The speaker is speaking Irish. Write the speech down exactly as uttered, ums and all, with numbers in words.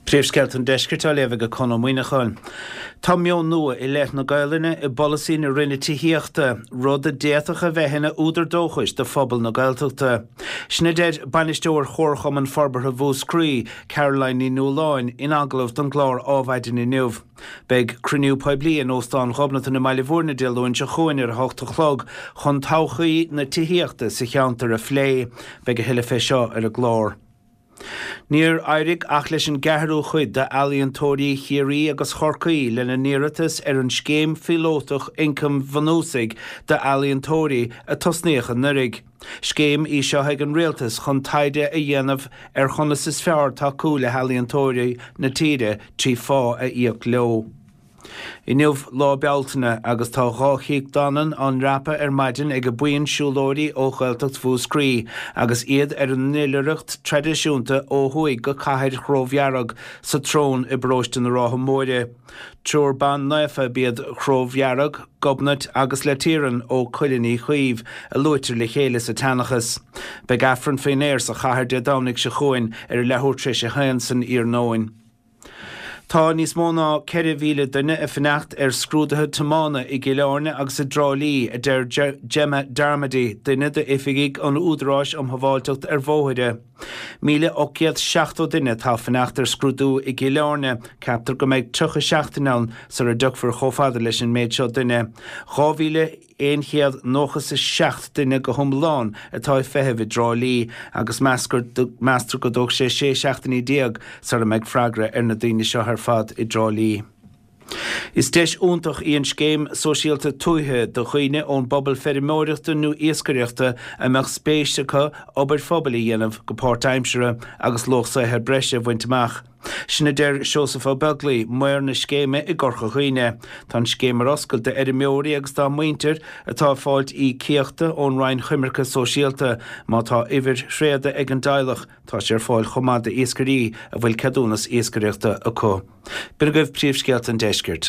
Príomhscéalta an Deiscirt á léamh ag Conn Ó Muíneacháin. Tá meon nua i leith na Gaelainne i bpolasaí na Roinne Tithíochta, rud a d'fhéadfadh a bheith ina údar dóchais do phobal na Gaeltachta. Sin a deir bainisteoir Chomharchumann Forbartha Mhúscraí, Caroline Ní Nualláin, in agallamh don gclár Adhmhaidin inniu. Beidh cruinniú poiblí in Óstán Ghobnatan i mBaile Bhúirne Dé Luain seo chugainn ar a hocht a chlog chun todhchaí na tithíochta sa cheantar a phlé. Beidh a thuilleadh fé seo ar an gclár. Níor éirigh ach leis an gceathrú cuid d'ealaíontóirí Chiarraí agus Chorcaí lena n-iarratas ar an scéim phíolótach ioncaim bhunúsaigh d'ealaíontóirí a tosnaíodh anuraidh. Scéim í seo ag an rialtas chun taighde a dhéanamh ar chonas is fearr tacú le healaíontóirí na tíre trí phá a íoc leo. Inniu Lá Bealtaine agus tá dhá Chnoc Danann á ndreapadh ar maidin ag buíon siúlóirí ó Ghaeltacht Mhúscraí agus iad ar a n-oilithreacht traidisiúnta ó thuaidh go Cathair Chrobh Dhearg sa tSrón i bparóiste na Rátha Móire. Triúr ban naofa ab iad Crobh Dhearg, Gobnait agus Latieran ó Cuilinn Uí Chaoimh a luaitear le chéile sa tseanchas. Beidh Aifreann faoin aer sa chathair Dé Domhnaigh seo chugainn ar a leathuair tar éis a haon san iarnóin. Tá níos mó ná ceithre mhíle duine ag fanacht ar scrúduithe tiomána i gCill Airne agus i dTrá Lí, a deir Gemma Darmody, duine d'oifigigh an Údaráis um Shábháilteacht ar Bhóithre. Míle ocht gcéad seachtó duine atá ag fanacht ar scrúdú i gCill Airne, ceaptar go mbeidh tríocha seachtain ann sara dtiocfar chomh fada leis an méid seo duine. Dhá mhíle aon chéad nócha is a seacht duine go hiomlán atá ag feitheamh i dTrá Lí agus meastar go dtógfaidh sé sé seachtainí déag sara mbeidh freagra ar na daoine seo ar fad i dTrá Lí. Is deis iontach í an scéim sóisialta tuaithe do dhaoine ón bpobal feirmeoireachta nó iascaireachta a mbeadh spéis acu obair phobail a dhéanamh go páirtaimseartha agus luach saothair breise a bhaint amach. Sin a deir Seosamh Ó Beaglaoi, maor na scéime i gCorca Dhuibhne. Tá an scéim ar oscailt d'fheirmeoirí agus dá muintir atá ag fáilt íocaíochta ón Roinn Coimirce Sóisialta. Má tá uimhir thréada ag an dteaghlach, tá sé ar fáil chomh maith d'iascairí a bhfuil ceadúnas iascaireachta acu. B'in agaibh príomhscéalta an deiscirt.